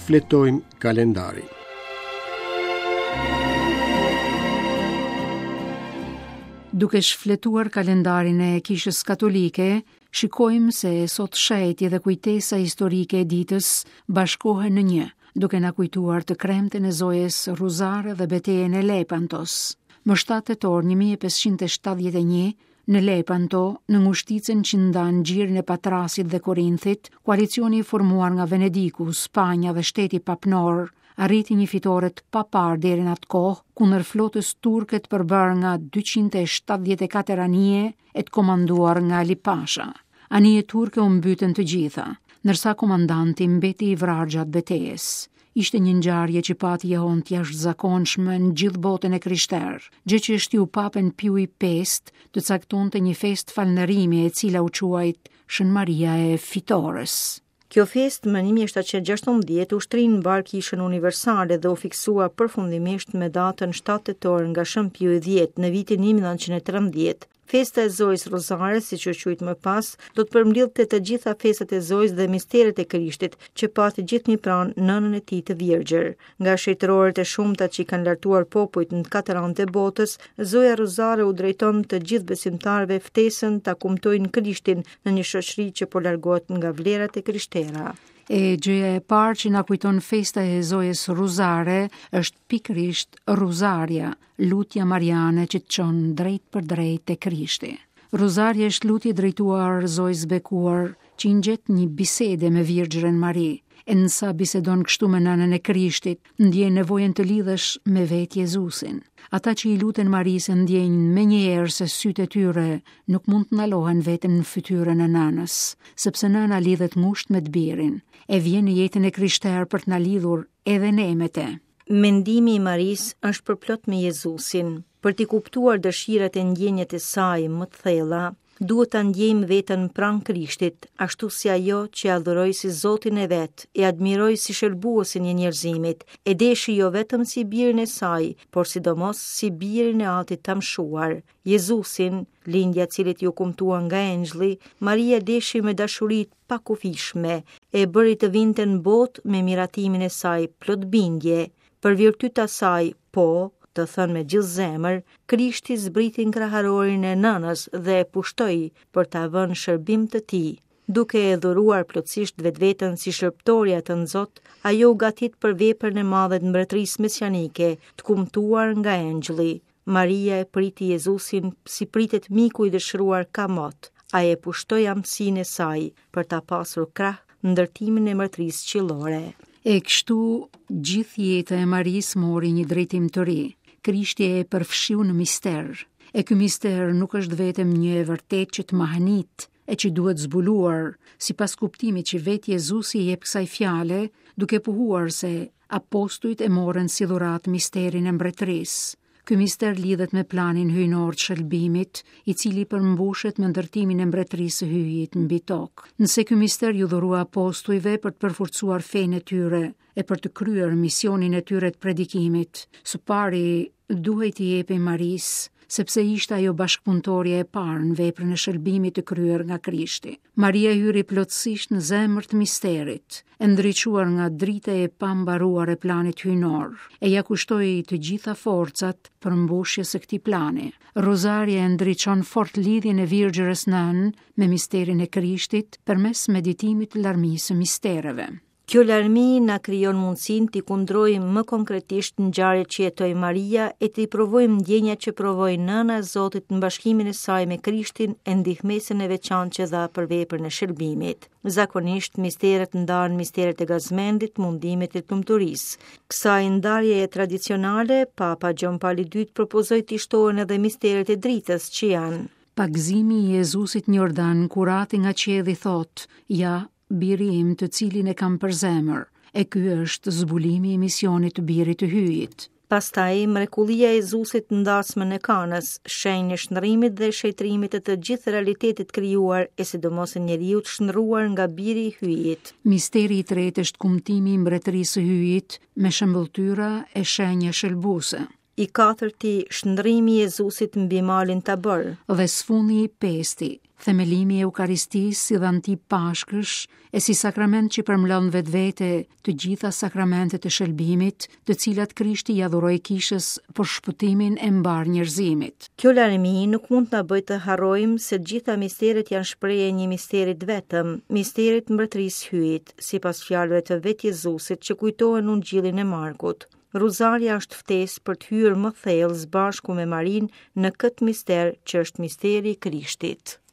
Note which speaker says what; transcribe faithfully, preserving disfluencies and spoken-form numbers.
Speaker 1: Shfletojmë kalendarin.
Speaker 2: Duke shfletuar kalendarin e Kishës Katolike, shikojmë se sot shenjti dhe kujtesa historike e ditës bashkohen në një, duke na kujtuar të kremten e Zojës Rruzare dhe betejën e Lepantos. Më shtatë tetor një mijë e pesëqind e shtatëdhjetë e një, në Lepanto, në ngushticën që ndan gjirin e Patrasit dhe Korinthit, koalicioni i formuar nga Venediku, Spanja dhe shteti papnor arriti një fitore të paparë deri në atë kohë kundër flotës turke të përbërë nga dyqind e shtatëdhjetë e katër anije e të komanduar nga Ali Pasha. Anije turke u mbytën të gjitha, ndërsa komandanti mbeti i vrarë gjatë betejës. Ishte një ngjarje që pati jehon të jashtëzakonshme në gjithë botën e krishterë, gjë që shtiu Papën Piu i pestë të caktonte një festë falënderimi e cila u quajt Shën Maria e Fitores.
Speaker 3: Kjo festë më një mijë e shtatëqind e gjashtëmbëdhjetë u shtrin në mbar kishën universale dhe u fiksua përfundimisht me datën shtatë tetor nga Shën Piu i dhjetë në vitin një mijë e nëntëqind e trembëdhjetë. Festa e Zojës Rruzare, siç u quajt më pas, do të përmblidhte të gjitha festat e Zojës dhe misteret e Krishtit, që pati gjithnjë pranë nënën e tij të virgjër. Nga shenjtërorët e shumta që i kanë lartuar popujt në katër anët e botës, Zoja Rruzare u drejton të gjithë besimtarëve ftesën ta kumtojnë Krishtin në një shoqëri që po largohet nga vlerat e krishtera.
Speaker 2: E gjëja e parë që na kujton festa e Zojës Rruzare është pikërisht Rruzarja, lutja mariane që të çon drejt për drejt te Krishti. Rruzarja është lutje drejtuar Zojës bekuar që i ngjet një bisede me Virgjërën Mari. E nësa bisedon kështu me nënën e Krishtit, ndjen nevojën të lidhesh me vetë Jezusin. Ata që i luten Marisë ndjenjë menjëherë se sytë e tyre nuk mund të ndalohen vetëm në fytyrën e nënës, sepse nëna lidhet ngushtë me të birin, e vjen në jetën e krishterë për të na lidhur edhe ne me te.
Speaker 3: Mendimi i Marisë është përplot me Jezusin. Për t'i kuptuar dëshirat e ndjenjat e saj më të thella, duhet ta ndjejmë veten pranë Krishtit, ashtu si ajo që e adhuroi si Zotin e vet, e admiroi si shëlbuesin e njerëzimit, e deshi jo vetëm si birin e saj, por sidomos si birin e Atit të amshuar. Jezusin, lindja e cilit ju kumtua nga engjëlli, Maria deshi me dashuri të pakufishme, e bëri të vinte në botë me miratimin e saj plot bindje. Për virtyt e saj, po, të thënë me gjithë zemër, Krishti zbriti në kraharorin e nënës dhe e pushtoi për ta vënë në shërbim të tij. Duke e dhuruar plotësisht vetveten si shërbëtorja të nxot, ajo u gatit për veprën e madhe të mbretërisë mesianike, të kumtuar nga engjëlli. Maria e priti Jezusin si pritet miku i dëshiruar kamot. Ai e pushtoi amësinë e saj për ta pasur krah ndërtimin e mbretërisë qiellore.
Speaker 2: E kështu gjithë jeta e Marisë mori një drejtim të ri. Krishti e përfshiu në mister. E ky mister nuk është vetëm një e vërtetë që të mahnit e që duhet zbuluar, sipas kuptimit që vetë Jezusi i jep kësaj fjale, duke pohuar se apostujt e morën si dhuratë misterin e mbretërisë. Ky mister lidhet me planin hyjnor të shëlbimit, i cili përmbushet me ndërtimin e mbretërisë së Hyjit mbi tokë. Nëse ky mister ju dhurua apostujve për të përforcuar fenë e tyre e për të kryer misionin e tyre të predikimit, së pari duhej t'i jepej Marisë, sepse ishte ajo bashkëpunëtorja e parë në veprën e shëlbimit të kryer nga Krishti. Maria hyri plotësisht në zemër të misterit, e ndriçuar nga drita e pambaruar e planit hyjnor, e ja kushtoi të gjitha forcat për mbushjes së këtij plani. Rozarja e ndriçon fort lidhjen e Virgjërës Nënë me misterin e Krishtit përmes meditimit të larmisë së mistereve.
Speaker 3: Kjo larmi na krijon mundësinë t'i kundrojmë më konkretisht ngjarjet që jetoi Maria e t'i provojmë ndjenjat që provoi Nëna e Zotit në bashkimin e saj me Krishtin e ndihmesën e veçantë që dha për veprën e shërbimit. Zakonisht misteret ndahen misteret e gazmendit, mundimit e lumturisë. Kësaj ndarjeje tradicionale, Papa Gjon Pali i dytë propozoi t'i shtohen edhe misteret e dritës që janë
Speaker 2: Pagëzimi i Jezusit në Jordan, kur ati nga qielli thotë: Ja, biri im të cilin e kam për zemër, e ky është zbulimi i misionit të birit të Hyjit.
Speaker 3: Pastaj, mrekullia e Jezusit në dasmën e Kanës, shenjë e shndrimit dhe shenjtërimit të të gjithë realitetit krijuar e sidomos e njeriut shndruar nga biri i Hyjit.
Speaker 2: Misteri i tretë është kumtimi i mbretërisë së Hyjit me shëmbëlltyra e shenja shëlbuese.
Speaker 3: I katërti, shndrimi i Jezusit mbi malin Tabor.
Speaker 2: Dhe së fundi i pesti, themelimi i Eukaristisë si dhanti pashkësh e si sakrament që përmlon vetvete të gjitha sakramentet e shëlbimit, të cilat Krishti ja dhuroi kishës për shpëtimin e mbarë njerëzimit.
Speaker 3: Kjo larmi nuk mund të na bëjë të harrojmë se të gjitha misteret janë shprehje e një misteri të vetëm, misterit mbretërisë Hyjit, sipas fjalëve të vetë Jezusit që kujtohen në Ungjillin e Markut. Ruzarja është ftesë për të hyrë më thellë së bashku me Marinë në këtë mister që është misteri i Krishtit.